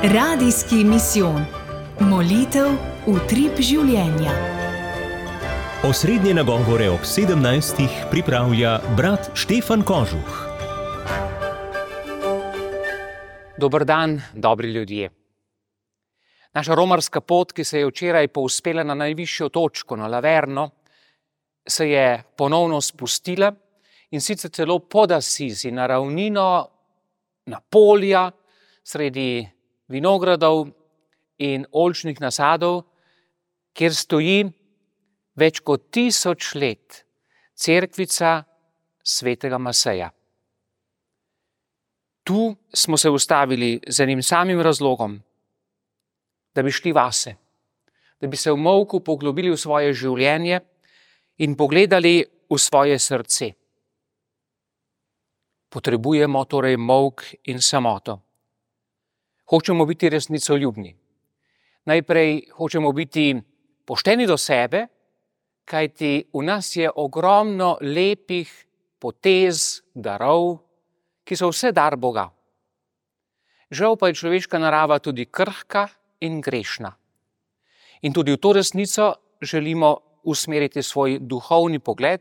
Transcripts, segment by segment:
Radijski misijon. Molitev utrip življenja. Osrednje nagovore ob 17. pripravlja brat Štefan Kožuh. Dober dan, dobri ljudje. Naša romarska pot, ki se je včeraj povzpela na najvišjo točko, na Laverno, se je ponovno spustila in sicer celo pod Asizi, na ravnino, na polja, sredi vinogradov in oljčnih nasadov, kjer stoji več kot 1000 let cerkvica svetega Maseja. Tu smo se ustavili z enim samim razlogom, da bi šli vase, da bi se v molku poglobili v svoje življenje in pogledali v svoje srce. Potrebujemo torej molk in samoto. Hočemo biti resnicoljubni. Najprej hočemo biti pošteni do sebe, kajti v nas je ogromno lepih potez, darov, ki so vse dar Boga. Žal pa je človeška narava tudi krhka in grešna. In tudi v to resnico želimo usmeriti svoj duhovni pogled,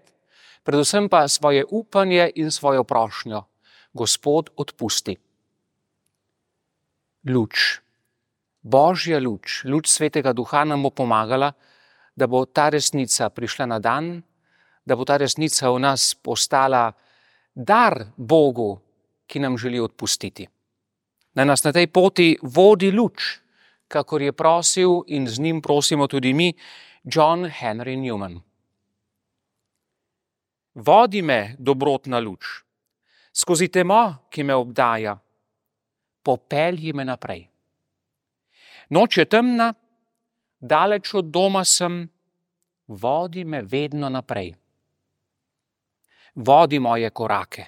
predvsem pa svoje upanje in svojo prošnjo. Gospod, odpusti. Luč, Božja luč, luč Svetega Duha nam bo pomagala, da bo ta resnica prišla na dan, da bo ta resnica v nas postala dar Bogu, ki nam želi odpustiti. Da nas na tej poti vodi luč, kakor je prosil in z njim prosimo tudi mi, John Henry Newman. Vodi me, dobrotna luč, skozi temo, ki me obdaja, popelji me naprej. Noč je temna, daleč od doma sem, vodi me vedno naprej. Vodi moje korake.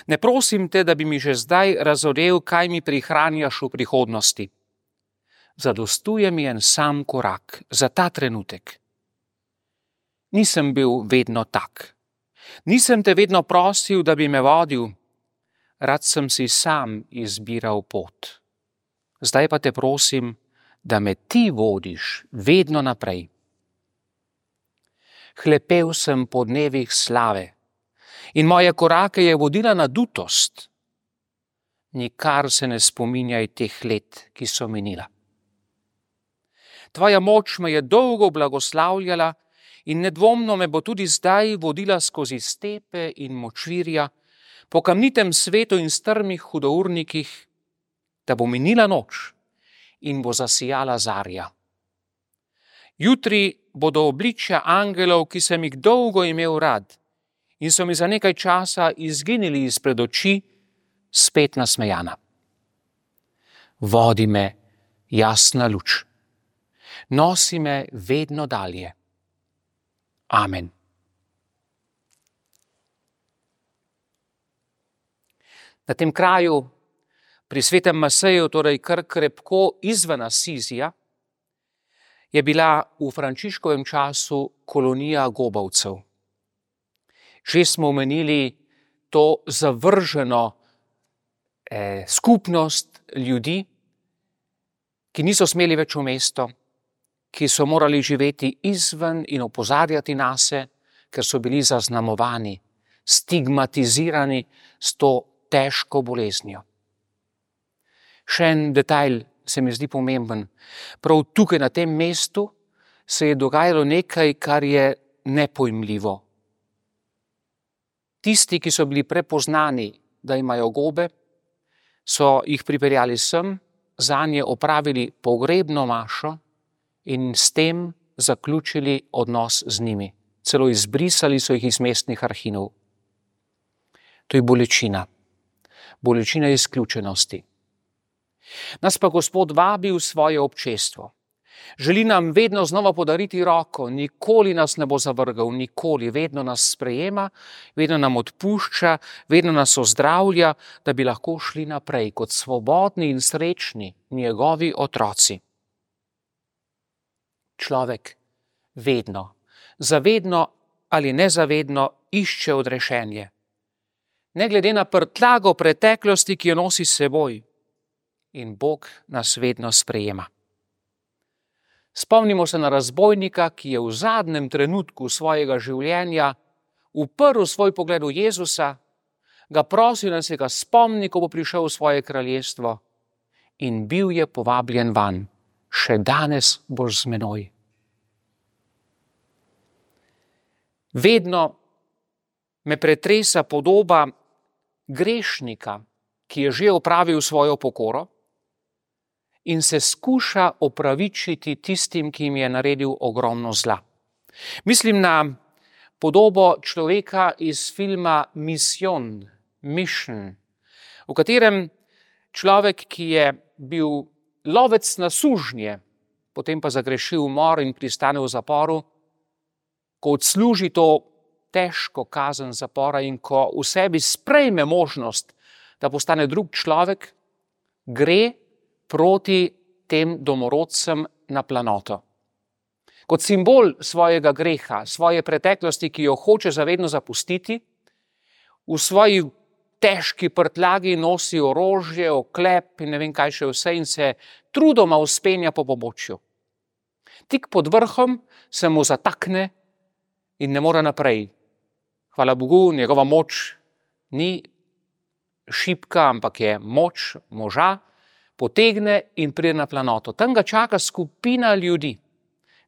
Ne prosim te, da bi mi že zdaj razodel, kaj mi prihranjaš v prihodnosti. Zadostuje mi en sam korak za ta trenutek. Nisem bil vedno tak. Nisem te vedno prosil, da bi me vodil. Rad sem si sam izbiral pot. Zdaj pa te prosim, da me ti vodiš vedno naprej. Hlepel sem po dnevih slave in moje korake je vodila nadutost. Nikar se ne spominjaj teh let, ki so minila. Tvoja moč me je dolgo blagoslavljala in nedvomno me bo tudi zdaj vodila skozi stepe in močvirja, po kamnitem svetu in strmih hudournikih, da bo minila noč in bo zasijala zarja. Jutri bodo obličja angelov, ki sem jih dolgo imel rad in so mi za nekaj časa izginili izpred oči, spet nasmejana. Vodi me, jasna luč. Nosi me vedno dalje. Amen. Na tem kraju, pri svetem Maseju, torej kar krepko izven Asizija, je bila v Frančiškovem času kolonija gobavcev. Že smo omenili to zavrženo skupnost ljudi, ki niso smeli več v mesto, ki so morali živeti izven in opozarjati nase, ker so bili zaznamovani, stigmatizirani s to težko boleznijo. Še en detajl se mi zdi pomemben. Prav tukaj na tem mestu se je dogajalo nekaj, kar je nepojmljivo. Tisti, ki so bili prepoznani, da imajo gobe, so jih pripeljali sem, zanje opravili pogrebno mašo in s tem zaključili odnos z njimi. Celo izbrisali so jih iz mestnih arhinov. To je bolečina. Bolečina izključenosti. Nas pa Gospod vabi v svoje občestvo. Želi nam vedno znova podariti roko, nikoli nas ne bo zavrgal, nikoli, vedno nas sprejema, vedno nam odpušča, vedno nas ozdravlja, da bi lahko šli naprej kot svobodni in srečni njegovi otroci. Človek vedno, zavedno ali nezavedno išče odrešenje. Ne glede na prtljago preteklosti, ki jo nosi s seboj. in Bog nas vedno sprejema. Spomnimo se na razbojnika, ki je v zadnjem trenutku svojega življenja uprl svoj pogled v Jezusa, ga prosil, da se ga spomni, ko bo prišel v svoje kraljestvo, in bil je povabljen vanj. Še danes boš z menoj. Vedno me pretresa podoba grešnika, ki je že opravil svojo pokoro in se skuša opravičiti tistim, ki jim je naredil ogromno zla. Mislim na podobo človeka iz filma Mission, v katerem človek, ki je bil lovec na sužnje, potem pa zagrešil umor in pristane v zaporu, ko odsluži to težko kazen zapora in ko v sebi sprejme možnost, da postane drug človek, gre proti tem domorodcem na planoto. Kot simbol svojega greha, svoje preteklosti, ki jo hoče zavedno zapustiti, v svoji težki prtljagi nosi orožje, oklep in ne vem kaj še vse in se trudoma vzpenja po pobočju. Tik pod vrhom se mu zatakne in ne more naprej. Hvala Bogu, njegova moč ni šibka, ampak je moč moža, potegne in pride na planoto. Tam ga čaka skupina ljudi,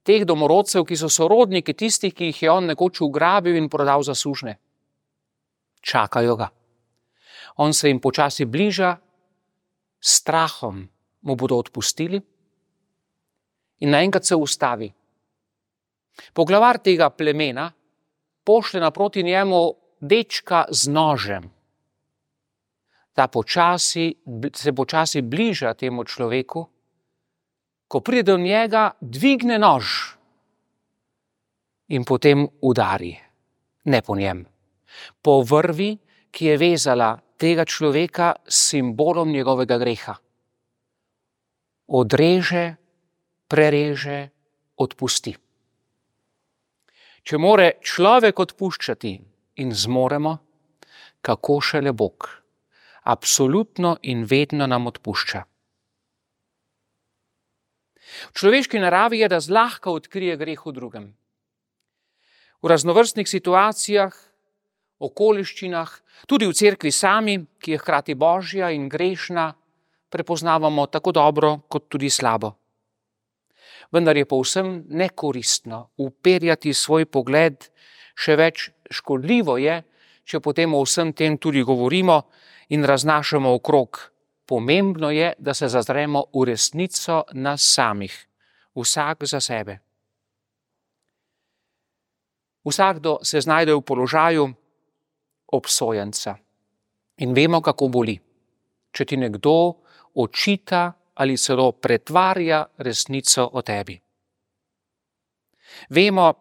teh domorodcev, ki so sorodniki tistih, ki jih je on nekoč ugrabil in prodal za sužnje. Čakajo ga. On se jim počasi bliža, s strahom mu bodo odpustili in naenkrat se ustavi. Poglavar tega plemena pošlje naproti njemu dečka z nožem. Ta se počasi bliža temu človeku, ko pride do njega, dvigne nož in potem udari. Ne po njem. Po vrvi, ki je vezala tega človeka s simbolom njegovega greha. Odreže, prereže, odpusti. Če more človek odpuščati in zmoremo, kako šele Bog. Absolutno in vedno nam odpušča. V človeški naravi je, da zlahka odkrije greh v drugem. V raznovrstnih situacijah, okoliščinah, tudi v cerkvi sami, ki je hkrati božja in grešna, prepoznavamo tako dobro kot tudi slabo. Vendar je povsem nekoristno uperjati svoj pogled, še več škodljivo je, če potem o vsem tem tudi govorimo in raznašamo okrog. Pomembno je, da se zazremo v resnico nas samih, vsak za sebe. Vsakdo se znajde v položaju obsojenca in vemo, kako boli, če ti nekdo očita ali celo pretvarja resnico o tebi. Vemo,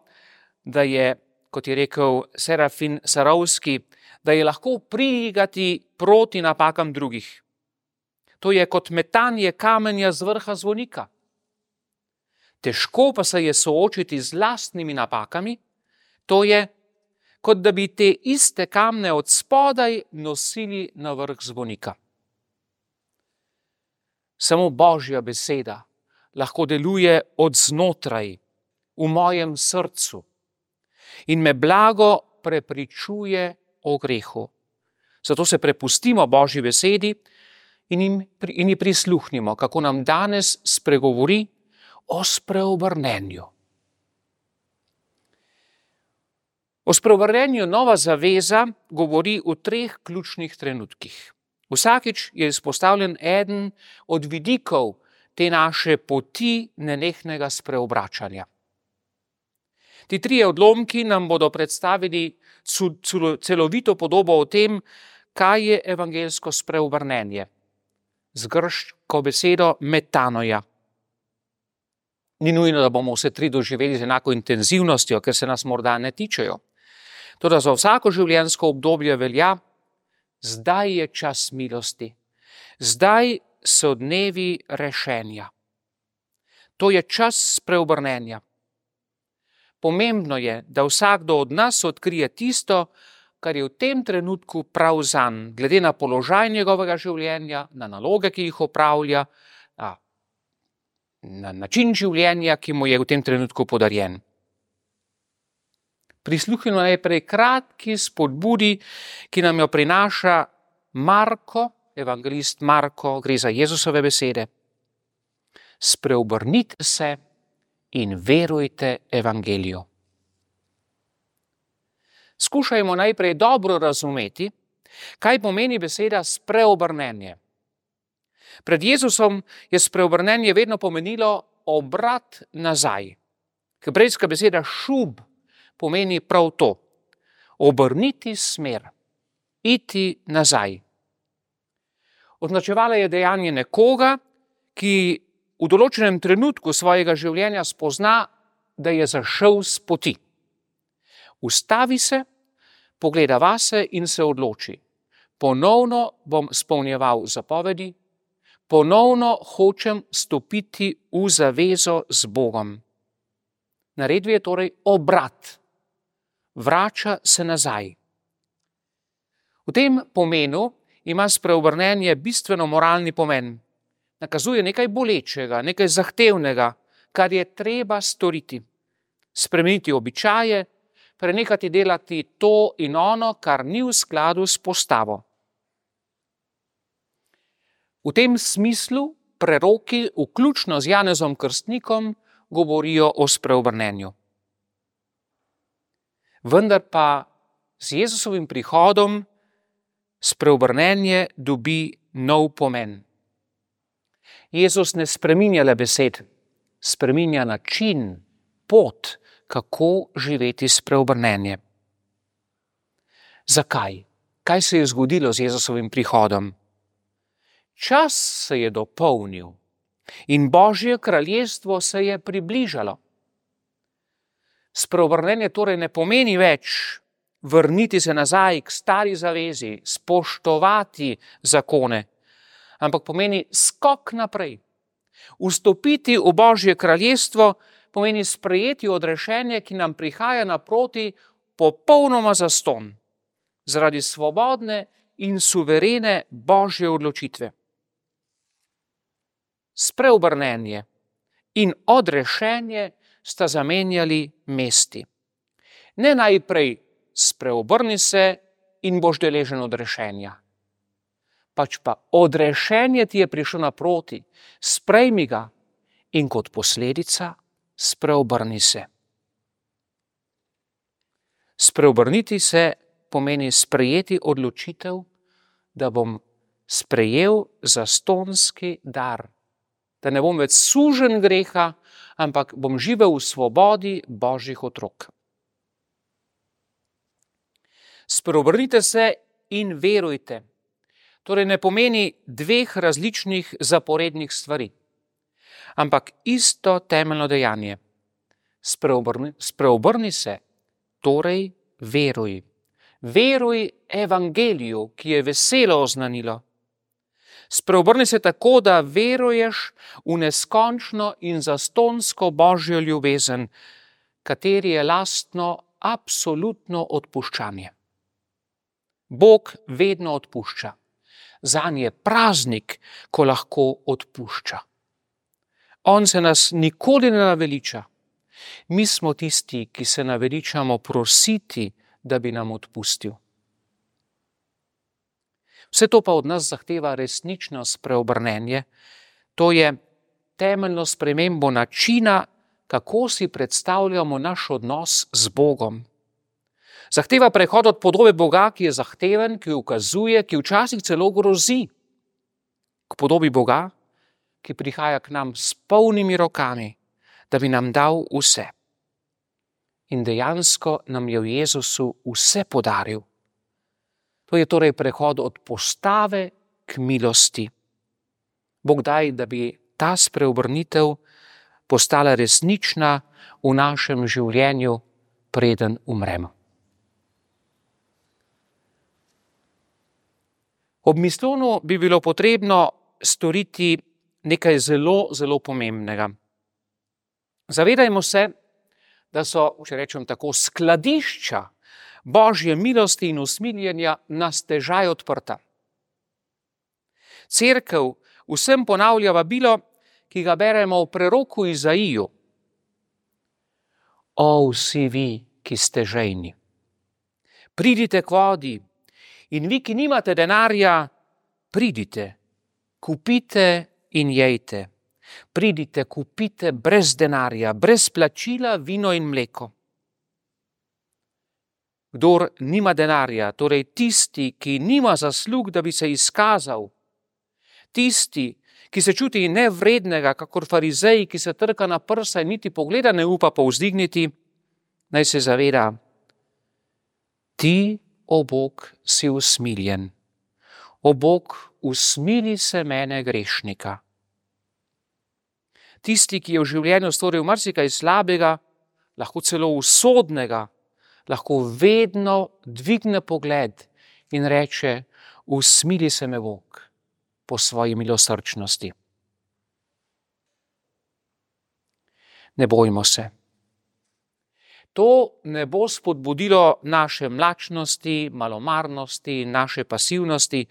da je, kot je rekel Serafin Sarovski, da je lahko prigati proti napakam drugih. To je kot metanje kamenja z vrha zvonika. Težko pa se je soočiti z lastnimi napakami, to je, kot da bi te iste kamne od spodaj nosili na vrh zvonika. Samo Božja beseda lahko deluje od znotraj, v mojem srcu in me blago prepričuje o grehu. Zato se prepustimo Božji besedi in ji prisluhnimo, kako nam danes spregovori o spreobrnenju. O spreobrnenju Nova zaveza govori v 3 ključnih trenutkih. Vsakič je izpostavljen eden od vidikov te naše poti nenehnega spreobračanja. Ti 3 odlomki nam bodo predstavili celovito podobo o tem, kaj je evangelsko spreobrnenje. Z grško besedo metanoja. Ni nujno, da bomo vse 3 doživeli z enako intenzivnostjo, ker se nas morda ne tičejo. Toda za vsako življenjsko obdobje velja, zdaj je čas milosti. Zdaj so dnevi rešenja. To je čas spreobrnenja. Pomembno je, da vsakdo od nas odkrije tisto, kar je v tem trenutku prav zanj, glede na položaj njegovega življenja, na naloge, ki jih opravlja, na način življenja, ki mu je v tem trenutku podarjen. Prisluhnimo najprej kratki spodbudi, ki nam jo prinaša Marko, evangelist Marko, gre za Jezusove besede. Spreobrnite se in verujte evangeliju. Skušajmo najprej dobro razumeti, kaj pomeni beseda spreobrnenje. Pred Jezusom je spreobrnenje vedno pomenilo obrat nazaj. Hebrejska beseda šub pomeni prav to. Obrniti smer, iti nazaj. Označevala je dejanje nekoga, ki v določenem trenutku svojega življenja spozna, da je zašel s poti. Ustavi se, pogleda vase in se odloči. Ponovno bom izpolnjeval zapovedi, ponovno hočem stopiti v zavezo z Bogom. Naredil je torej obrat. Vrača se nazaj. V tem pomenu ima spreobrnenje bistveno moralni pomen. Nakazuje nekaj bolečega, nekaj zahtevnega, kar je treba storiti. Spremeniti običaje, prenehati delati to in ono, kar ni v skladu s postavo. V tem smislu preroki, vključno z Janezom Krstnikom, govorijo o spreobrnenju. Vendar pa z Jezusovim prihodom spreobrnenje dobi nov pomen. Jezus ne spreminja le besed, spreminja način, pot, kako živeti spreobrnenje. Zakaj? Kaj se je zgodilo z Jezusovim prihodom? Čas se je dopolnil in Božje kraljestvo se je približalo. Spreobrnenje torej ne pomeni več vrniti se nazaj k stari zavezi, spoštovati zakone, ampak pomeni skok naprej. Vstopiti v Božje kraljestvo pomeni sprejeti odrešenje, ki nam prihaja naproti popolnoma zastonj, zaradi svobodne in suverene Božje odločitve. Spreobrnenje in odrešenje sta zamenjali mesti. Ne najprej spreobrni se in boš deležen odrešenja. Pač pa odrešenje ti je prišlo naproti, sprejmi ga in kot posledica spreobrni se. Spreobrniti se pomeni sprejeti odločitev, da bom sprejel zastonjski dar, da ne bom več suženj greha, ampak bom živel v svobodi Božjih otrok. Spreobrnite se in verujte. Torej ne pomeni dveh različnih zaporednih stvari, ampak isto temeljno dejanje. Spreobrni se, torej veruj. Veruj evangeliju, ki je veselo oznanilo. Spreobrni se tako, da veruješ v neskončno in zastonjsko Božjo ljubezen, kateri je lastno absolutno odpuščanje. Bog vedno odpušča. Zanj je praznik, ko lahko odpušča. On se nas nikoli ne naveliča. Mi smo tisti, ki se naveličamo prositi, da bi nam odpustil. Vse to pa od nas zahteva resnično spreobrnenje. To je temeljno spremembo načina, kako si predstavljamo naš odnos z Bogom. Zahteva prehod od podobe Boga, ki je zahteven, ki ukazuje, ki včasih celo grozi, k podobi Boga, ki prihaja k nam s polnimi rokami, da bi nam dal vse. In dejansko nam je v Jezusu vse podaril. To je torej prehod od postave k milosti. Bog daj, da bi ta spreobrnitev postala resnična v našem življenju, preden umremo. Ob mislonu bi bilo potrebno storiti nekaj zelo, zelo pomembnega. Zavedajmo se, da so, če rečem tako, skladišča Božje milosti in usmiljenja nas težaj odprta. Cerkev vsem ponavlja vabilo, ki ga beremo v preroku Izaiju. O, vsi vi, ki ste žejni, pridite k vodi, in vi, ki nimate denarja, pridite, kupite in jejte. Pridite, kupite brez denarja, brez plačila vino in mleko. Kdor nima denarja, torej tisti, ki nima zaslug, da bi se izkazal, tisti, ki se čuti nevrednega, kakor farizej, ki se trka na prsa in niti pogleda ne upa povzdigniti, naj se zaveda, ti, o Bog, si usmiljen. O Bog, usmili se mene grešnika. Tisti, ki je v življenju storil marsikaj slabega, lahko celo usodnega, lahko vedno dvigne pogled in reče, usmili se me Bog po svoji milosrčnosti. Ne bojmo se. To ne bo spodbudilo naše mlačnosti, malomarnosti, naše pasivnosti,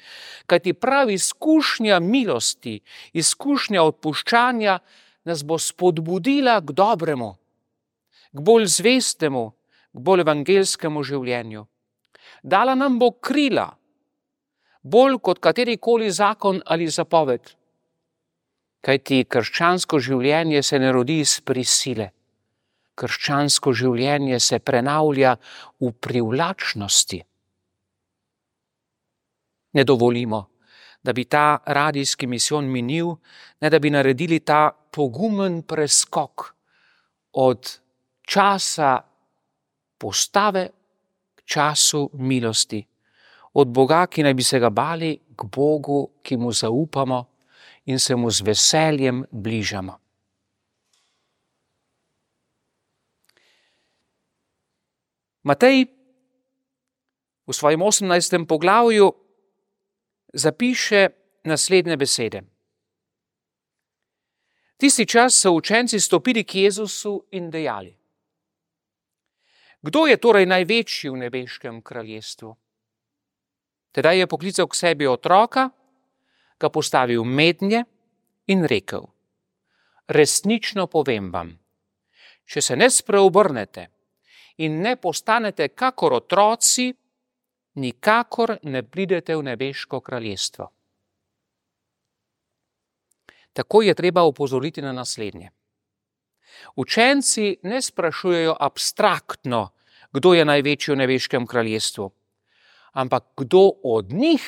kajti prav izkušnja milosti, izkušnja odpuščanja nas bo spodbudila k dobremu, k bolj zvestemu, k bolj evangelskemu življenju. Dala nam bo krila, bolj kot katerikoli zakon ali zapoved. Kajti krščansko življenje se ne rodi iz prisile. Krščansko življenje se prenavlja v privlačnosti. Ne dovolimo, da bi ta radijski misijon minil, ne da bi naredili ta pogumen preskok od časa postave k času milosti. Od Boga, ki naj bi se ga bali, k Bogu, ki mu zaupamo in se mu z veseljem bližamo. Matej v svojem 18. poglavju zapiše naslednje besede. Tisti čas so učenci stopili k Jezusu in dejali: Kdo je torej največji v nebeškem kraljestvu? Tedaj je poklical k sebi otroka, ga postavil mednje in rekel: Resnično povem vam, če se ne spreobrnete in ne postanete kakor otroci, nikakor ne pridete v nebeško kraljestvo. Tako je treba opozoriti na naslednje. Učenci ne sprašujejo abstraktno, kdo je največji v nebeškem kraljestvu, ampak kdo od njih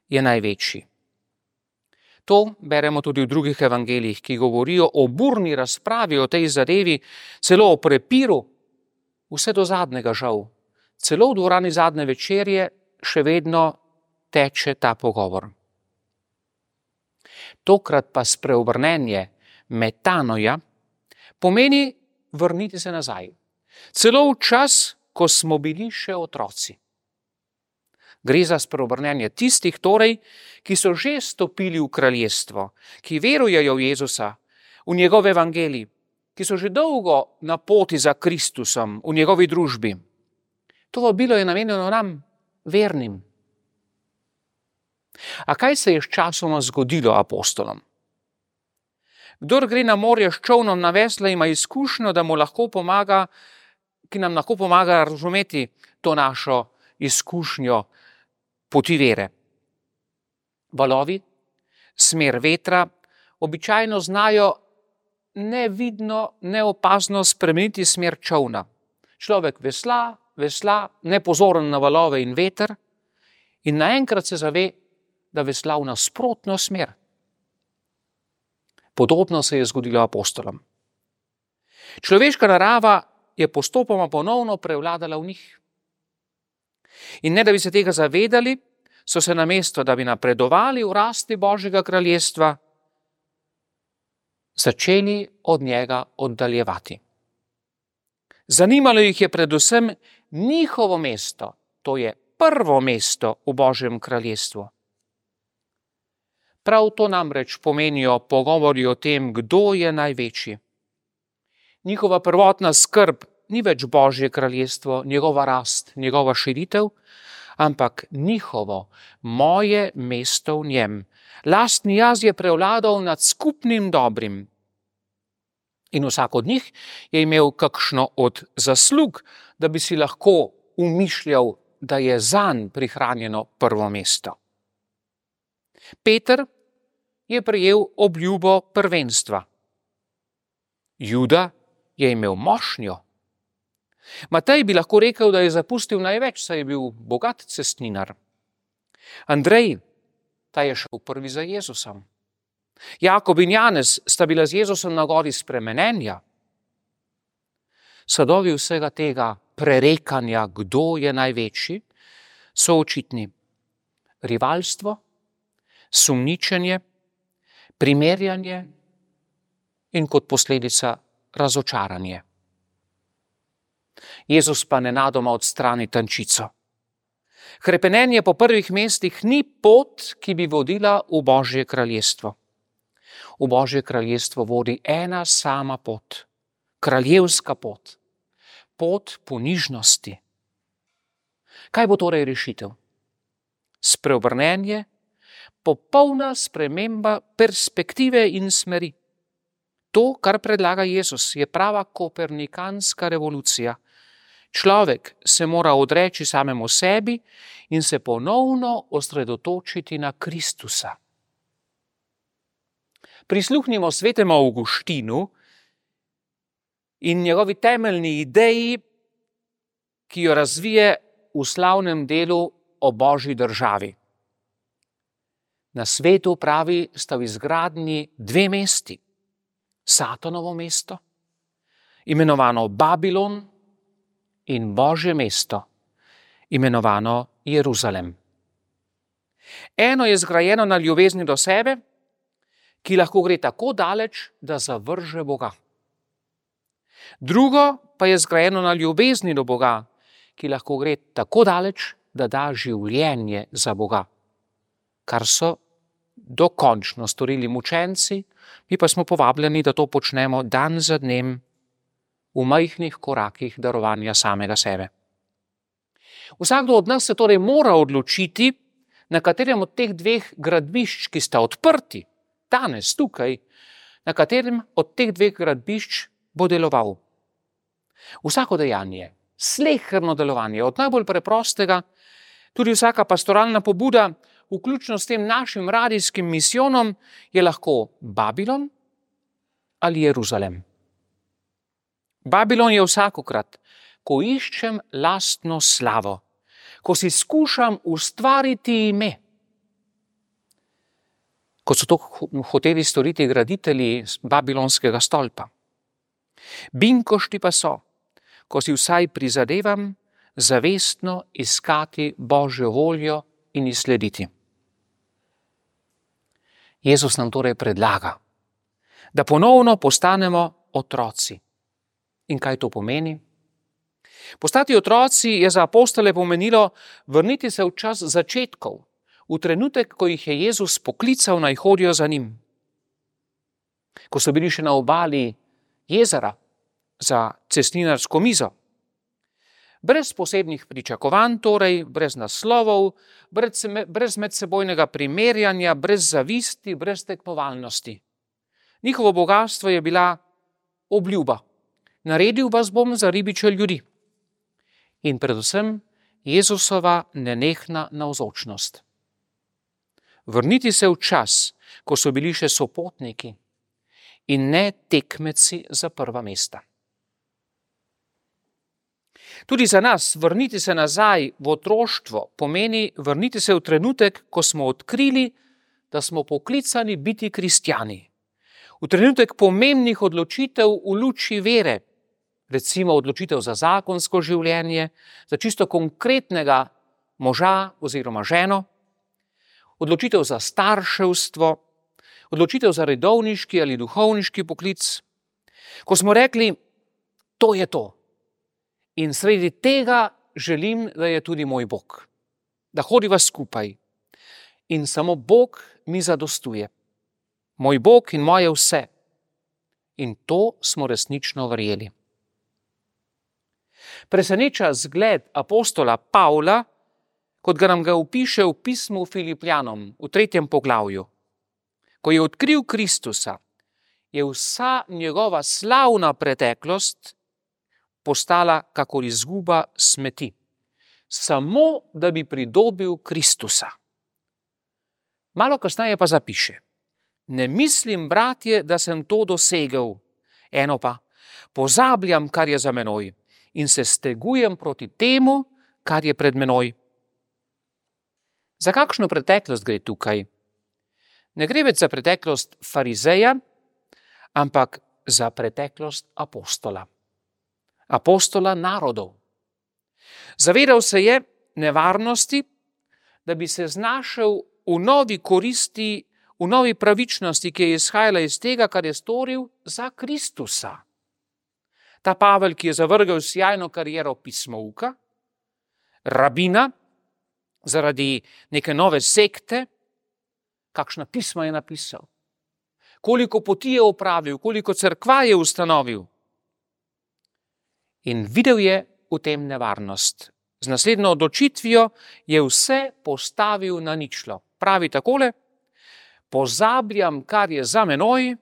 je največji. To beremo tudi v drugih evangelijih, ki govorijo o burni razpravi o tej zadevi, celo o prepiru, vse do zadnjega žal. Celo v dvorani zadnje večerje še vedno teče ta pogovor. Tokrat pa spreobrnenje metanoja pomeni vrniti se nazaj. Celo v čas, ko smo bili še otroci. Gre za spreobrnenje tistih torej, ki so že stopili v kraljestvo, ki verujejo v Jezusa, v njegov evangelij, ki so že dolgo na poti za Kristusom v njegovi družbi. To vabilo je namenjeno nam, vernim. A kaj se je sčasoma zgodilo apostolom? Kdor gre na morje s čolnom na vesla, ima izkušnjo, da mu lahko pomaga, ki nam lahko pomaga razumeti to našo izkušnjo poti vere. Valovi, smer vetra, običajno znajo nevidno, neopazno spremeniti smer čolna. Človek vesla, nepozoren na valove in veter in naenkrat se zave, da vesla v nasprotno smer. Podobno se je zgodilo apostolom. Človeška narava je postopoma ponovno prevladala v njih. In ne da bi se tega zavedali, so se namesto, da bi napredovali v rasti Božjega kraljestva, začeli od njega oddaljevati. Zanimalo jih je predvsem njihovo mesto, to je prvo mesto v Božjem kraljestvu. Prav to namreč pomenijo pogovori o tem, kdo je največji. Njihova prvotna skrb ni več Božje kraljestvo, njegova rast, njegova širitev, ampak njihovo, moje mesto v njem. Lastni jaz je prevladal nad skupnim dobrim. In vsak od njih je imel kakšno od zaslug, da bi si lahko umišljal, da je zanj prihranjeno prvo mesto. Peter je prejel obljubo prvenstva. Juda je imel mošnjo. Matej bi lahko rekel, da je zapustil največ, saj je bil bogat cestninar. Andrej, ta je šel prvi za Jezusom. Jakob in Janez sta bila z Jezusom na gori spremenenja. Sadovi vsega tega prerekanja, kdo je največji, so očitni. Rivalstvo, sumničenje, primerjanje in kot posledica razočaranje. Jezus pa nenadoma odstrani tančico. Hrepenenje po prvih mestih ni pot, ki bi vodila v Božje kraljestvo. V Božje kraljestvo vodi ena sama pot, kraljevska pot, pot ponižnosti. Kaj bo torej rešitev? Spreobrnenje, popolna sprememba perspektive in smeri. To, kar predlaga Jezus, je prava kopernikanska revolucija. Človek se mora odreči samemu sebi in se ponovno osredotočiti na Kristusa. Prisluhnimo svetemu Avguštinu in njegovi temeljni ideji, ki jo razvije v slavnem delu o Božji državi. Na svetu, pravi, sta v izgradnji dve mesti. Satanovo mesto, imenovano Babilon, in Božje mesto, imenovano Jeruzalem. Eno je zgrajeno na ljubezni do sebe, ki lahko gre tako daleč, da zavrže Boga. Drugo pa je zgrajeno na ljubezni do Boga, ki lahko gre tako daleč, da da življenje za Boga, kar so dokončno storili mučenci, mi pa smo povabljeni, da to počnemo dan za dnem v majhnih korakih darovanja samega sebe. Vsakdo od nas se torej mora odločiti, na katerem od teh dveh gradbišč, ki sta odprti, danes tukaj, na katerem od teh dveh gradbišč bo deloval. Vsako dejanje, sleherno delovanje, od najbolj preprostega, tudi vsaka pastoralna pobuda, vključno s tem našim radijskim misijonom, je lahko Babilon ali Jeruzalem. Babilon je vsakokrat, ko iščem lastno slavo, ko si skušam ustvariti ime, kot so to hoteli storiti graditelji babilonskega stolpa. Binkošti pa so, ko si vsaj prizadevam zavestno iskati Božjo voljo in ji slediti. Jezus nam torej predlaga, da ponovno postanemo otroci. In kaj to pomeni? Postati otroci je za apostole pomenilo vrniti se v čas začetkov, v trenutek, ko jih je Jezus poklical, naj hodijo za njim. Ko so bili še na obali jezera za cestninarsko mizo. Brez posebnih pričakovanj, torej brez naslovov, brez medsebojnega primerjanja, brez zavisti, brez tekmovalnosti. Njihovo bogastvo je bila obljuba. Naredil vas bom za ribiče ljudi. In predvsem Jezusova nenehna navzočnost. Vrniti se v čas, ko so bili še sopotniki in ne tekmeci za prva mesta. Tudi za nas vrniti se nazaj v otroštvo pomeni vrniti se v trenutek, ko smo odkrili, da smo poklicani biti kristjani. V trenutek pomembnih odločitev v luči vere, recimo odločitev za zakonsko življenje, za čisto konkretnega moža oziroma ženo, odločitev za starševstvo, odločitev za redovniški ali duhovniški poklic. Ko smo rekli, to je to. In sredi tega želim, da je tudi moj Bog. Da hodiva skupaj. In samo Bog mi zadostuje. Moj Bog in moje vse. In to smo resnično verjeli. Preseneča zgled apostola Pavla, kot ga nam ga opiše v pismu Filipljanom v 3. poglavju. Ko je odkril Kristusa, je vsa njegova slavna preteklost postala kakor izguba smeti, samo da bi pridobil Kristusa. Malo kasneje pa zapiše: ne mislim, bratje, da sem to dosegel, eno pa, pozabljam, kar je za menoj, in se stegujem proti temu, kar je pred menoj. Za kakšno preteklost gre tukaj? Ne gre več za preteklost farizeja, ampak za preteklost apostola. Apostola narodov. Zavedal se je nevarnosti, da bi se znašel v novi koristi, v novi pravičnosti, ki je izhajala iz tega, kar je storil za Kristusa. Ta Pavel, ki je zavrgel sjajno kariero pismouka, rabina, zaradi neke nove sekte, kakšna pisma je napisal, koliko poti je opravil, koliko cerkva je ustanovil. In videl je v tem nevarnost. Z naslednjo odločitvijo je vse postavil na ničlo. Pravi takole: pozabljam, kar je za menoj,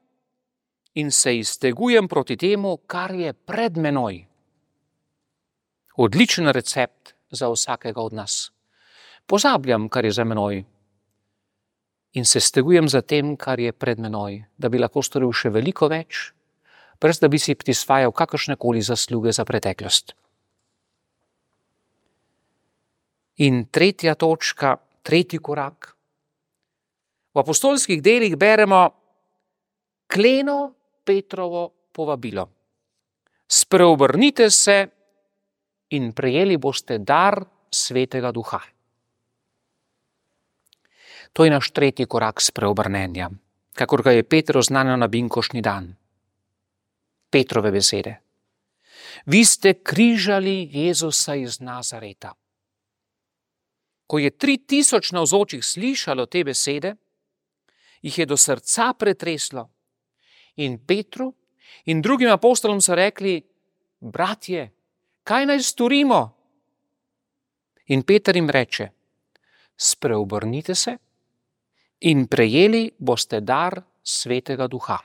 in se iztegujem proti temu, kar je pred menoj. Odličen recept za vsakega od nas. Pozabljam, kar je za menoj, in se stegujem za tem, kar je pred menoj, da bi lahko storil še veliko več, brez da bi si prisvajal kakršnekoli zasluge za preteklost. In tretja točka, tretji korak. V apostolskih delih beremo kleno Petrovo povabilo. Spreobrnite se in prejeli boste dar Svetega Duha. To je naš tretji korak spreobrnenja, kakor ga je Peter oznanil na binkoštni dan. Petrove besede. Vi ste križali Jezusa iz Nazareta. Ko je 3000 navzočih slišalo te besede, jih je do srca pretreslo. In Petru in drugim apostolom so rekli: bratje, kaj naj storimo? In Peter jim reče: spreobrnite se in prejeli boste dar Svetega Duha.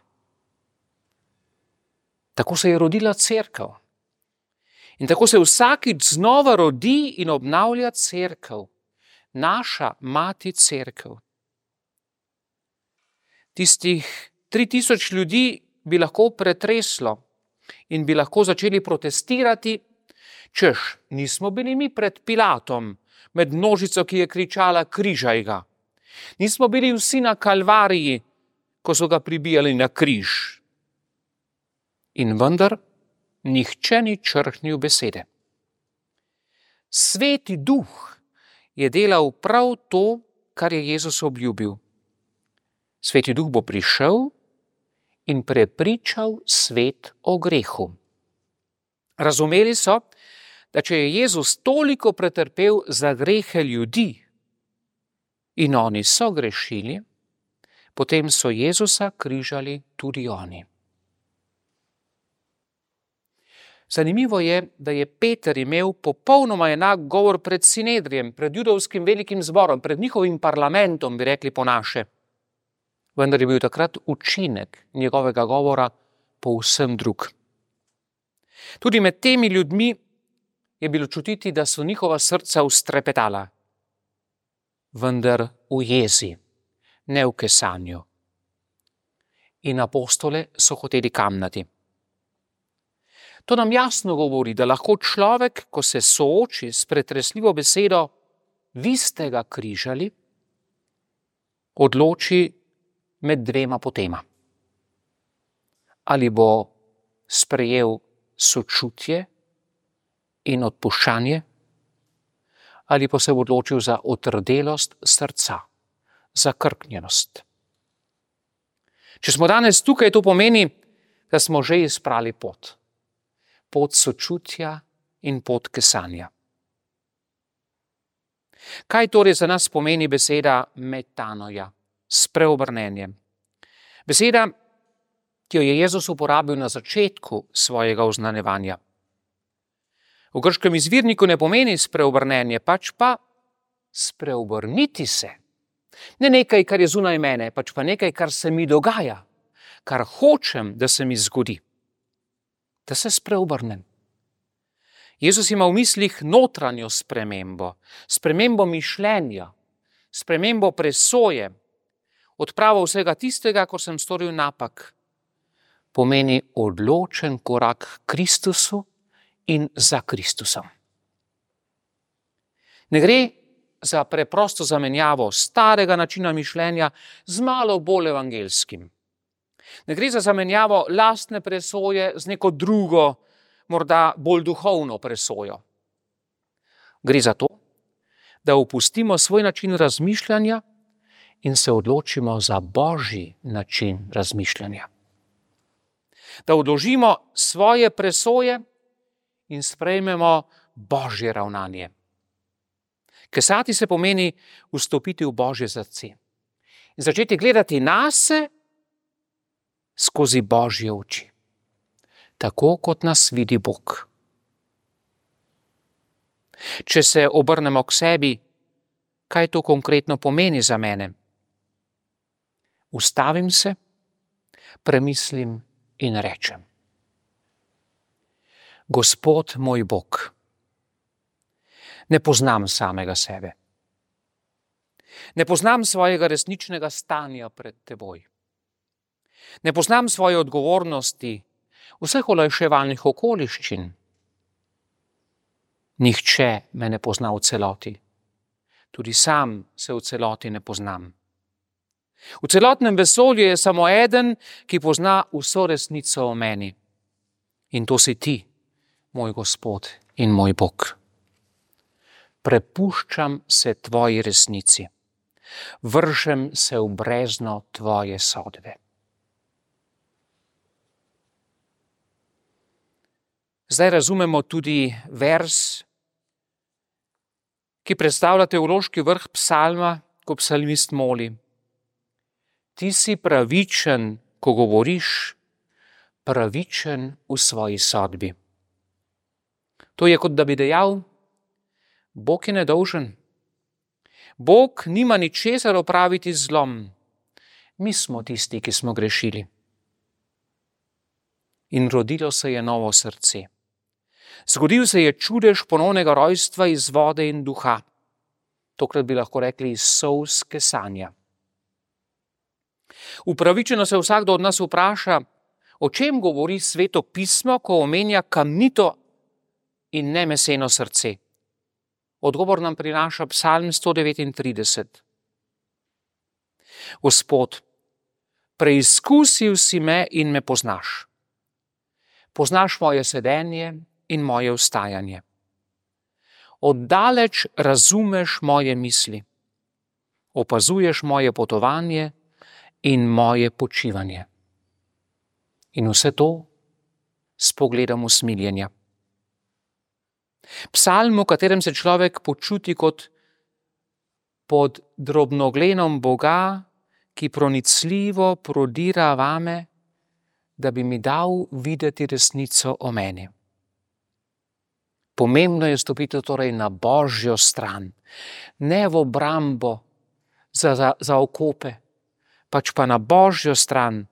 Tako se je rodila cerkev. In tako se vsakič znova rodi in obnavlja cerkev. Naša mati cerkev. Tistih 3000 ljudi bi lahko pretreslo in bi lahko začeli protestirati, češ, nismo bili mi pred Pilatom, med množico, ki je kričala: križaj ga. Nismo bili vsi na Kalvariji, ko so ga pribijali na križ. In vendar nihče ni črhnil besede. Sveti Duh je delal prav to, kar je Jezus obljubil. Sveti Duh bo prišel in prepričal svet o grehu. Razumeli so, da če je Jezus toliko pretrpel za grehe ljudi in oni so grešili, potem so Jezusa križali tudi oni. Zanimivo je, da je Peter imel popolnoma enak govor pred Sinedrijem, pred judovskim velikim zborom, pred njihovim parlamentom, bi rekli po naše. Vendar je bil takrat učinek njegovega govora povsem drug. Tudi med temi ljudmi je bilo čutiti, da so njihova srca ustrepetala, vendar v jezi, ne v kesanju. In apostole so hoteli kamnati. To nam jasno govori, da lahko človek, ko se sooči s pretresljivo besedo vi ste ga križali, odloči med dvema potema. Ali bo sprejel sočutje in odpuščanje, ali pa se bo odločil za otrdelost srca, za krknjenost. Če smo danes tukaj, to pomeni, da smo že izbrali pot. Pot sočutja in pot kesanja. Kaj torej za nas pomeni beseda metanoja, spreobrnenje? Beseda, ki jo je Jezus uporabil na začetku svojega oznanjevanja. V grškem izvirniku ne pomeni spreobrnenje, pač pa spreobrniti se. Ne nekaj, kar je zunaj mene, pač pa nekaj, kar se mi dogaja, kar hočem, da se mi zgodi. Da se spreobrnem. Jezus ima v mislih notranjo spremembo, spremembo mišljenja, spremembo presoje, odpravo vsega tistega, ko sem storil napak. Pomeni odločen korak k Kristusu in za Kristusom. Ne gre za preprosto zamenjavo starega načina mišljenja z malo bolj evangelskim. Ne gre za zamenjavo lastne presoje z neko drugo, morda bolj duhovno presojo. Gre za to, da opustimo svoj način razmišljanja in se odločimo za Božji način razmišljanja. Da odložimo svoje presoje in sprejmemo Božje ravnanje. Kesati se pomeni vstopiti v Božje srce in začeti gledati nase skozi Božje oči, tako kot nas vidi Bog. Če se obrnemo k sebi, kaj to konkretno pomeni za mene? Ustavim se, premislim in rečem: Gospod moj Bog, ne poznam samega sebe. Ne poznam svojega resničnega stanja pred teboj. Ne poznam svoje odgovornosti, vseh olajševalnih okoliščin. Nihče me ne pozna v celoti. Tudi sam se v celoti ne poznam. V celotnem vesolju je samo eden, ki pozna vso resnico o meni. In to si ti, moj Gospod in moj Bog. Prepuščam se tvoji resnici. Vržem se v brezno tvoje sodbe. Zdaj razumemo tudi vers, ki predstavlja teološki vrh psalma, ko psalmist moli: Ti si pravičen, ko govoriš, pravičen v svoji sodbi. To je, kot da bi dejal: Bog je nedolžen. Bog nima ničesar opraviti z zlom. Mi smo tisti, ki smo grešili. In rodilo se je novo srce. Zgodil se je čudež ponovnega rojstva iz vode in duha. Tokrat bi lahko rekli iz solz kesanja. Upravičeno se vsakdo od nas vpraša, o čem govori Sveto pismo, ko omenja kamnito in nemeseno srce. Odgovor nam prinaša Psalm 139. Gospod, preizkusil si me in me poznaš. Poznaš moje sedenje in moje vstajanje. Oddaleč razumeš moje misli. Opazuješ moje potovanje in moje počivanje. In vse to s pogledom usmiljenja. Psalm, v katerem se človek počuti kot pod drobnogledom Boga, ki pronicljivo prodira vame, da bi mi dal videti resnico o meni. Pomembno je stopiti torej na Božjo stran, ne v obrambo za okope, pač pa na Božjo stran,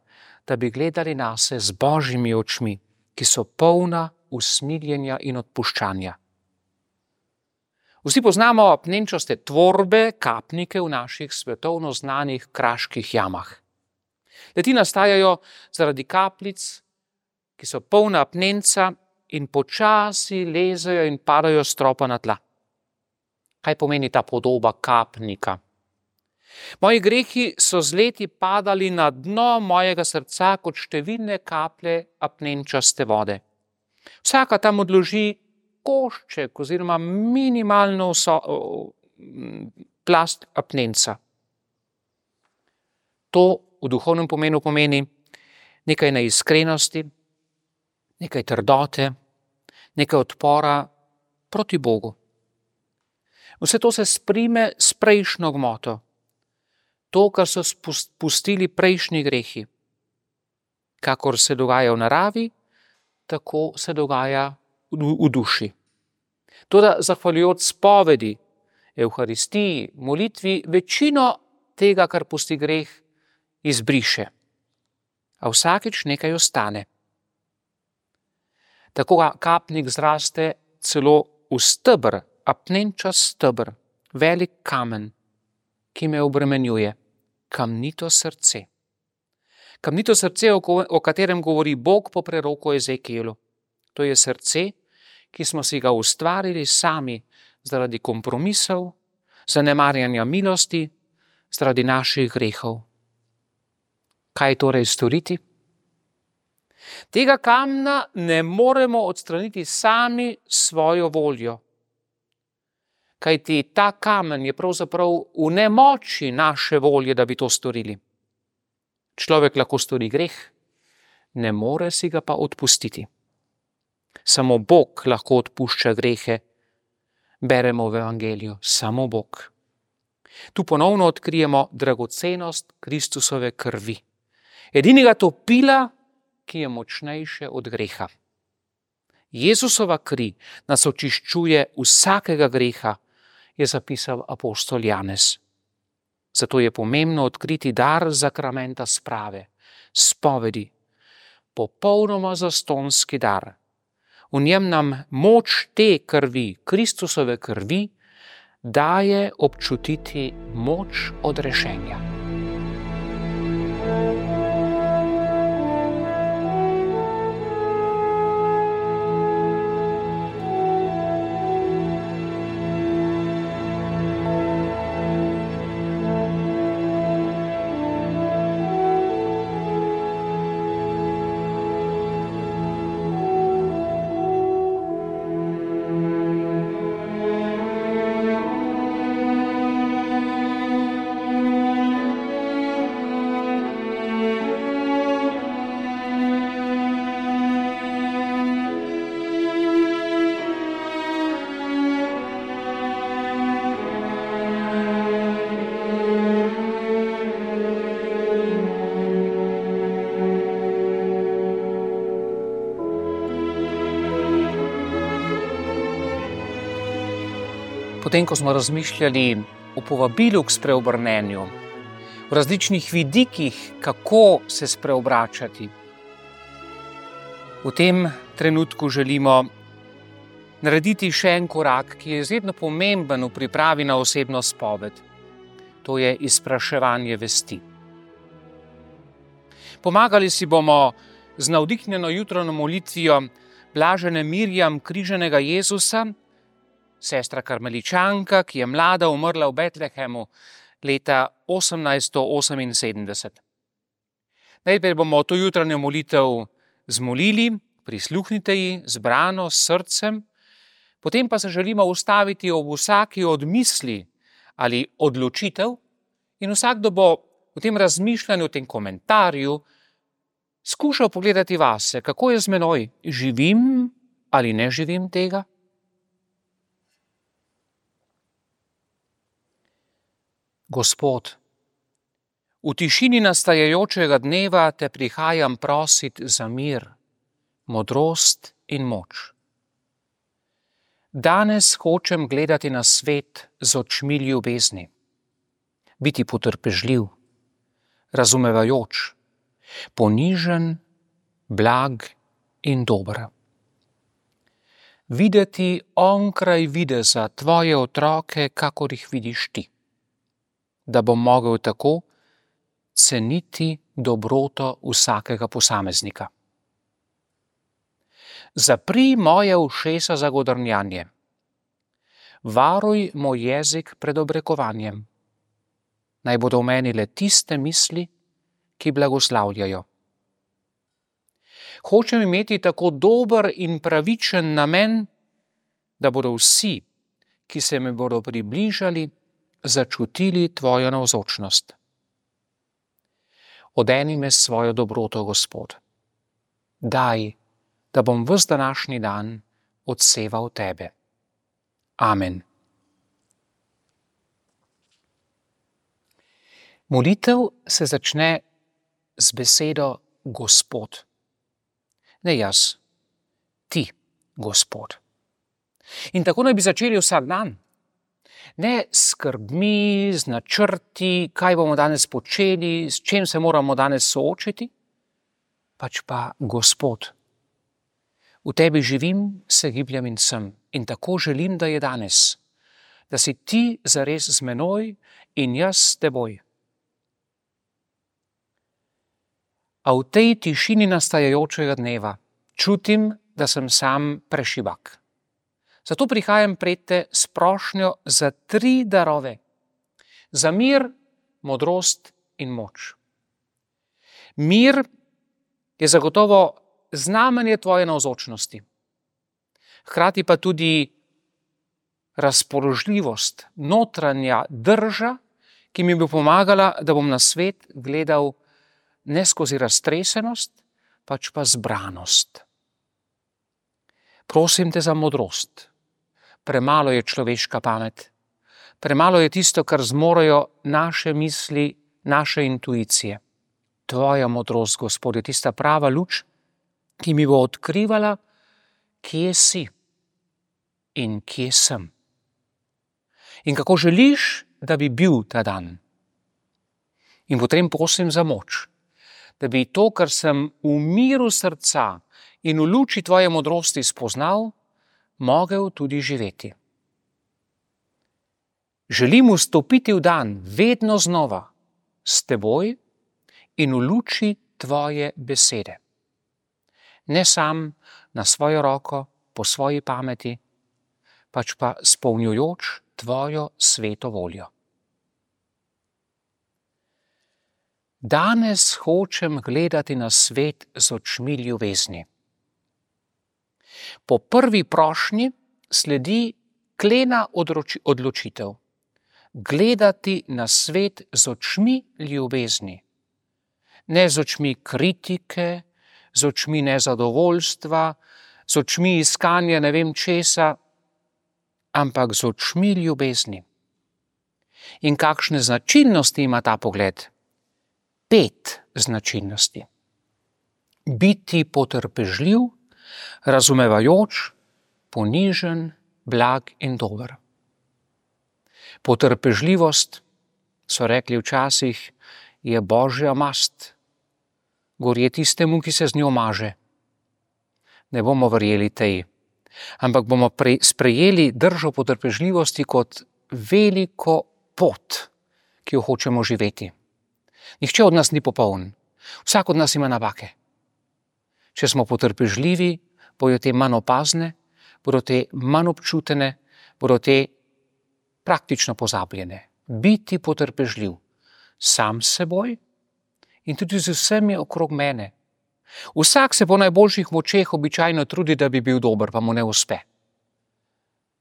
da bi gledali nase z Božjimi očmi, ki so polna usmiljenja in odpuščanja. Vsi poznamo apnenčaste tvorbe, kapnike v naših svetovno znanih kraških jamah. Le-ti nastajajo zaradi kapljic, ki so polna apnenca in počasi lezejo in padajo s stropa na tla. Kaj pomeni ta podoba kapnika? Moji grehi so z leti padali na dno mojega srca kot številne kaplje apnenčaste vode. Vsaka tam odloži košček oziroma minimalno plast apnenca. To v duhovnem pomenu pomeni nekaj neiskrenosti, nekaj trdote, nekaj odpora proti Bogu. Vse to se sprime s prejšnjo gmoto. To, kar so pustili prejšnji grehi. Kakor se dogaja v naravi, tako se dogaja v duši. Toda zahvaljujoč spovedi, evharistiji, molitvi, večino tega, kar pusti greh, izbriše. A vsakič nekaj ostane. Tako kapnik zraste celo v steber, apnenčast steber, velik kamen, ki me obremenjuje, kamnito srce. Kamnito srce, o katerem govori Bog po preroku Ezekielu. To je srce, ki smo si ga ustvarili sami zaradi kompromisov, zanemarjanja milosti, zaradi naših grehov. Kaj torej storiti? Tega kamna ne moremo odstraniti sami svojo voljo. Kajti ta kamen je pravzaprav v nemoči naše volje, da bi to storili. Človek lahko stori greh, ne more si ga pa odpustiti. Samo Bog lahko odpušča grehe, beremo v Evangeliju, samo Bog. Tu ponovno odkrijemo dragocenost Kristusove krvi. Edinega topila, ki je močnejše od greha. Jezusova kri nas očiščuje vsakega greha, je zapisal apostol Janez. Zato je pomembno odkriti dar zakramenta sprave, spovedi, popolnoma zastonski dar. V njem nam moč te krvi, Kristusove krvi, daje občutiti moč odrešenja. Potem, ko smo razmišljali o povabilu k spreobrnenju, v različnih vidikih, kako se spreobračati, v tem trenutku želimo narediti še en korak, ki je izredno pomemben v pripravi na osebno spoved. To je izpraševanje vesti. Pomagali si bomo z navdihnjeno jutranjo molitvijo blažene Mirjam križanega Jezusa, sestra karmeličanka, ki je mlada umrla v Betlehemu leta 1878. Najprej bomo to jutranjo molitev zmolili, prisluhnite ji zbrano s srcem, potem pa se želimo ustaviti ob vsaki od misli ali odločitev in vsakdo bo v tem razmišljanju, v tem komentarju skušal pogledati vase, kako je z menoj, živim ali ne živim tega. Gospod, v tišini nastajajočega dneva te prihajam prosit za mir, modrost in moč. Danes hočem gledati na svet z očmi ljubezni, biti potrpežljiv, razumevajoč, ponižen, blag in dober. Videti onkraj videza tvoje otroke, kakor jih vidiš ti, da bom mogel tako ceniti dobroto vsakega posameznika. Zapri moje ušesa za godrnjanje. Varuj moj jezik pred obrekovanjem. Naj bodo v meni le tiste misli, ki blagoslavljajo. Hočem imeti tako dober in pravičen namen, da bodo vsi, ki se mi bodo približali, začutili tvojo navzočnost. Odeni me s svojo dobroto, Gospod. Daj, da bom ves današnji dan odseval tebe. Amen. Molitev se začne z besedo Gospod. Ne jaz, ti, Gospod. In tako naj bi začeli vsak dan. Ne s skrbmi, z načrti, kaj bomo danes počeli, s čim se moramo danes soočiti, pač pa Gospod. V tebi živim, se gibljem in sem. In tako želim, da je danes. Da si ti zares z menoj in jaz s teboj. A v tej tišini nastajajočega dneva čutim, da sem sam prešibak. Zato prihajam pred te s prošnjo za 3 darove. Za mir, modrost in moč. Mir je zagotovo znamenje tvoje navzočnosti. Hkrati pa tudi razpoložljivost, notranja drža, ki mi bo pomagala, da bom na svet gledal ne skozi raztresenost, pač pa zbranost. Prosim te za modrost. Premalo je človeška pamet. Premalo je tisto, kar zmorejo naše misli, naše intuicije. Tvoja modrost, Gospod, je tista prava luč, ki mi bo odkrivala, kje si in kje sem. In kako želiš, da bi bil ta dan. In potem prosim za moč, da bi to, kar sem v miru srca in v luči tvoje modrosti spoznal, mogel tudi živeti. Želim vstopiti v dan vedno znova s teboj in v luči tvoje besede. Ne sam na svojo roko, po svoji pameti, pač pa spolnjujoč tvojo sveto voljo. Danes hočem gledati na svet z očmi ljubezni. Po prvi prošnji sledi klena odločitev. Gledati na svet z očmi ljubezni. Ne z očmi kritike, z očmi nezadovoljstva, z očmi iskanja ne vem česa, ampak z očmi ljubezni. In kakšne značilnosti ima ta pogled? 5 značilnosti. Biti potrpežljiv, razumevajoč, ponižen, blag in dober. Potrpežljivost, so rekli včasih, je božja mast. Gorje tistemu, ki se z njo maže. Ne bomo verjeli tej, ampak bomo sprejeli držo potrpežljivosti kot veliko pot, ki jo hočemo živeti. Nihče od nas ni popoln. Vsak od nas ima napake. Če smo potrpežljivi, bodo te manj opazne, bodo te manj občutene, bodo te praktično pozabljene. Biti potrpežljiv sam s seboj in tudi z vsemi okrog mene. Vsak se po najboljših močeh običajno trudi, da bi bil dober, pa mu ne uspe.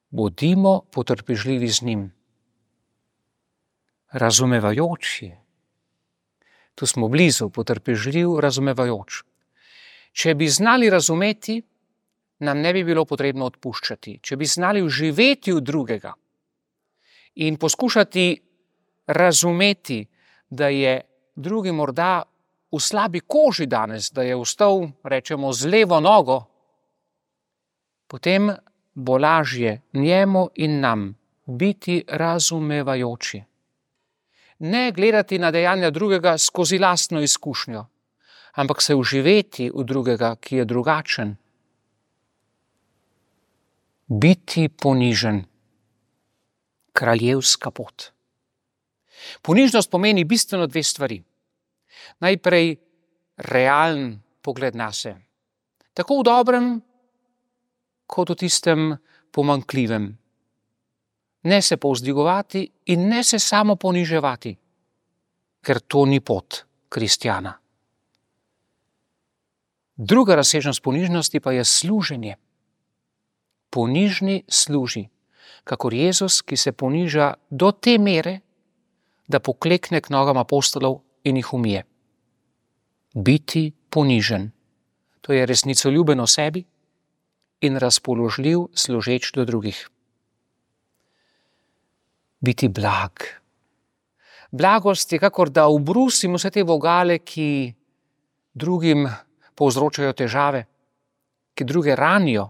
Bodimo potrpežljivi z njim. Razumevajoči. Tu smo blizu, potrpežljiv, razumevajoč. Če bi znali razumeti, nam ne bi bilo potrebno odpuščati. Če bi znali vživeti v drugega in poskušati razumeti, da je drugi morda v slabi koži danes, da je vstal, rečemo, z levo nogo, potem bo lažje njemu in nam biti razumevajoči. Ne gledati na dejanja drugega skozi lastno izkušnjo, ampak se vživeti v drugega, ki je drugačen. Biti ponižen. Kraljevska pot. Ponižnost pomeni bistveno 2 stvari. Najprej realen pogled nase. Tako v dobrem, kot v tistem pomanjkljivem. Ne se povzdigovati in ne se samo poniževati, ker to ni pot kristjana. Druga razsežnost ponižnosti pa je služenje. Ponižni služi, kakor Jezus, ki se poniža do te mere, da poklekne k nogam apostolov in jih umije. Biti ponižen, to je resnicoljuben o sebi in razpoložljiv služeč do drugih. Biti blag. Blagost je kakor da ubrusim vse te vogale, ki drugim povzročajo težave, ki druge ranijo.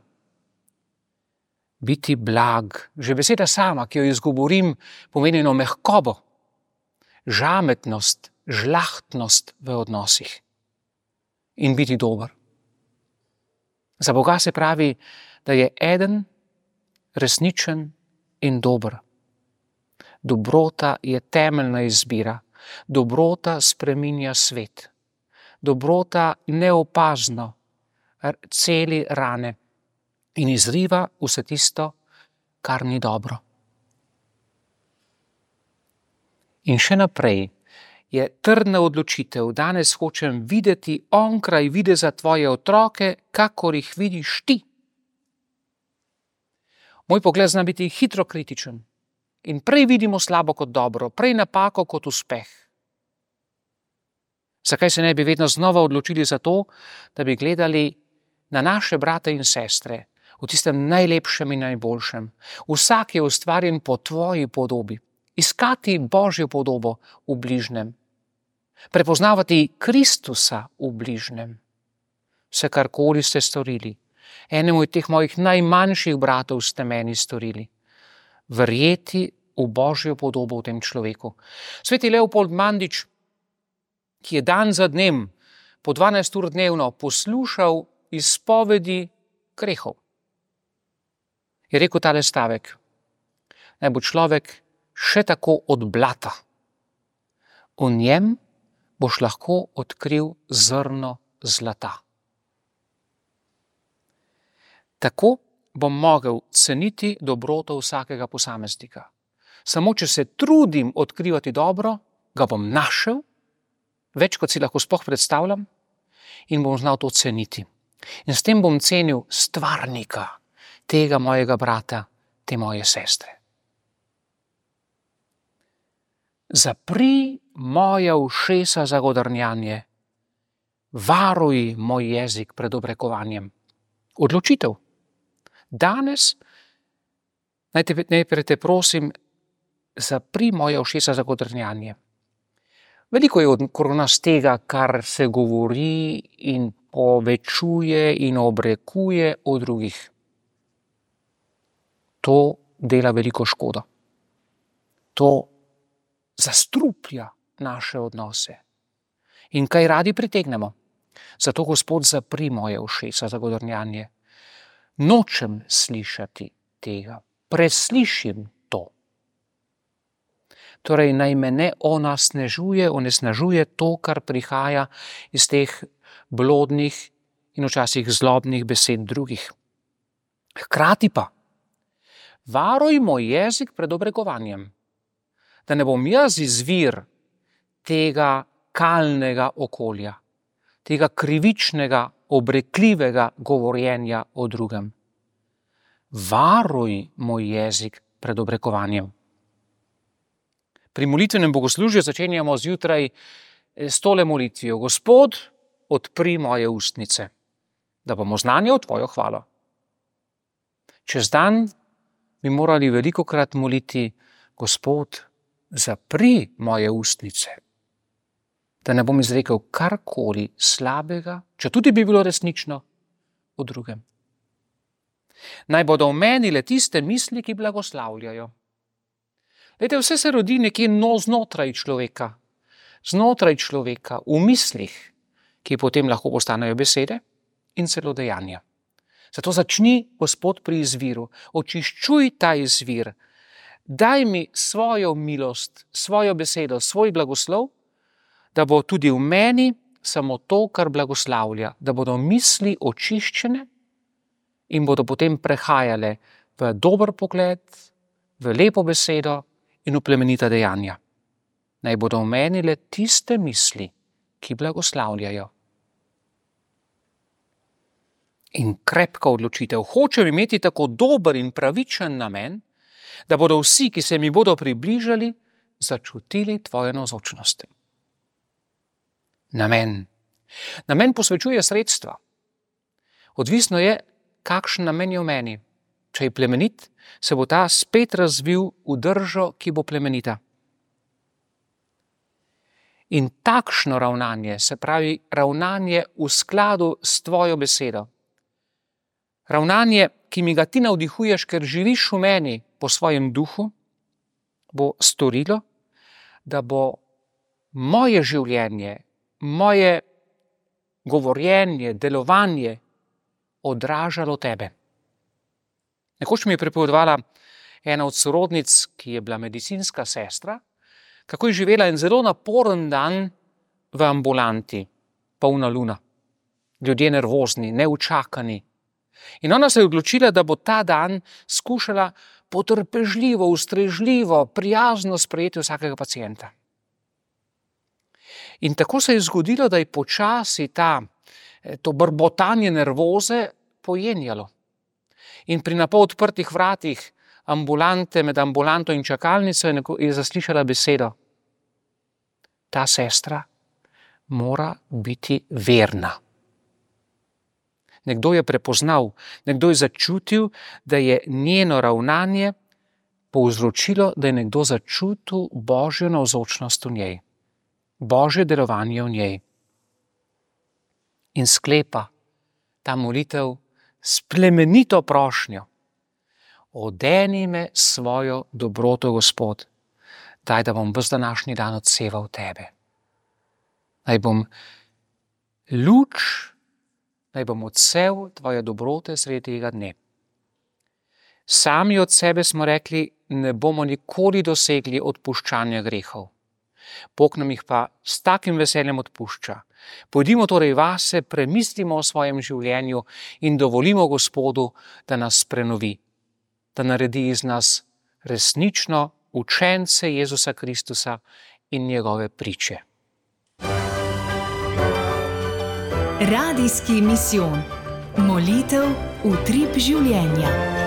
biti blag. Že beseda sama, ki jo izgovorim, pomeni eno mehkobo, žametnost, žlahtnost v odnosih in biti dober. Za Boga se pravi, da je eden resničen in dober. Dobrota je temeljna izbira. Dobrota spreminja svet. Dobrota neopazno celi rane in izriva vse tisto, kar ni dobro. In še naprej je trdna odločitev. Danes hočem videti onkraj videza tvoje otroke, kakor jih vidiš ti. Moj pogled zna biti hitro kritičen in prej vidimo slabo kot dobro, prej napako kot uspeh. Zakaj se ne bi vedno znova odločili za to, da bi gledali na naše brate in sestre v tistem najlepšem in najboljšem? Vsak je ustvarjen po tvoji podobi. Iskati Božjo podobo v bližnjem. Prepoznavati Kristusa v bližnjem. Vse karkoli ste storili, enemu od teh mojih najmanjših bratov ste meni storili. Verjeti v Božjo podobo v tem človeku. Sveti Leopold Mandič, ki je dan za dnem, po 12 ur dnevno poslušal izpovedi grehov, je rekel tale stavek: naj bo človek še tako od blata. V njem boš lahko odkril zrno zlata. Tako bom mogel ceniti dobroto vsakega posameznika. Samo če se trudim odkrivati dobro, ga bom našel, več kot si lahko sploh predstavljam, in bom znal to ceniti. In s tem bom cenil stvarnika, tega mojega brata, te moje sestre. Zapri moja ušesa za godrnjanje, varuj moj jezik pred obrekovanjem. Odločitev. Danes, najprej te prosim, zapri moja ušesa za godrnjanje. Veliko je okrog nas tega, kar se govori in povečuje in obrekuje o drugih. To dela veliko škodo. To zastruplja naše odnose. In kaj radi pritegnemo? Zato, Gospod, zapri moje ušesa za godrnjanje. Nočem slišati tega. Preslišim to. Torej, naj me ne onesnažuje to, kar prihaja iz teh blodnih in včasih zlobnih besed drugih. Hkrati pa, varuj moj jezik pred obrekovanjem, da ne bom jaz izvir tega kalnega okolja, tega krivičnega, obrekljivega govorjenja o drugem. Varuj moj jezik pred obrekovanjem. Pri molitvenem bogoslužju začenjamo zjutraj s tole molitvijo: Gospod, odpri moje ustnice, da bom oznanjal tvojo hvalo. Čez dan bi morali velikokrat moliti: Gospod, zapri moje ustnice, da ne bom izrekel karkoli slabega, če tudi bi bilo resnično, o drugem. Naj bodo v meni le tiste misli, ki blagoslavljajo. Glejte, vse se rodi nekje znotraj človeka, v mislih, ki potem lahko postanejo besede in celo dejanja. Zato začni, Gospod, pri izviru. Očiščuj ta izvir. Daj mi svojo milost, svojo besedo, svoj blagoslov, da bo tudi v meni samo to, kar blagoslavlja, da bodo misli očiščene in bodo potem prehajale v dober pogled, v lepo besedo in v plemenita dejanja. Naj bodo v meni le tiste misli, ki blagoslavljajo. In krepka odločitev. Hočem imeti tako dober in pravičen namen, da bodo vsi, ki se mi bodo približali, začutili tvojo navzočnost. Namen. Namen posvečuje sredstva. Odvisno je, kakšen namen je v meni. Če je plemenit, se bo ta spet razvil v držo, ki bo plemenita. In takšno ravnanje, se pravi ravnanje v skladu s tvojo besedo, Ravnanje, ki mi ga ti navdihuješ, ker živiš v meni po svojem duhu, bo storilo, da bo moje življenje, moje govorjenje, delovanje odražalo tebe. Nekoč mi je pripovedovala ena od sorodnic, ki je bila medicinska sestra, kako je živela en zelo naporen dan v ambulanti, polna luna. Ljudje nervozni, neučakani. In ona se je odločila, da bo ta dan skušala potrpežljivo, ustrežljivo, prijazno sprejeti vsakega pacienta. In tako se je zgodilo, da je počasi to brbotanje nervoze pojenjalo. In pri napol odprtih vratih ambulante, med ambulanto in čakalnico je zaslišala besedo: ta sestra mora biti verna. Nekdo je prepoznal, nekdo je začutil, da je njeno ravnanje povzročilo, da je nekdo začutil Božjo navzočnost v njej, Božje delovanje v njej. In sklepa ta molitev s plemenito prošnjo: odeni me svojo dobroto, Gospod, daj, da bom ves današnji dan odseval tebe. Naj bom luč, naj bom odsev tvoje dobrote sredi tega dne. Sami od sebe smo rekli, ne bomo nikoli dosegli odpuščanja grehov. Bog nam jih pa s takim veseljem odpušča. Pojdimo torej vase, premislimo o svojem življenju in dovolimo Gospodu, da nas prenovi, da naredi iz nas resnično učence Jezusa Kristusa in njegove priče. Radijski misijon. Molitev utrip življenja.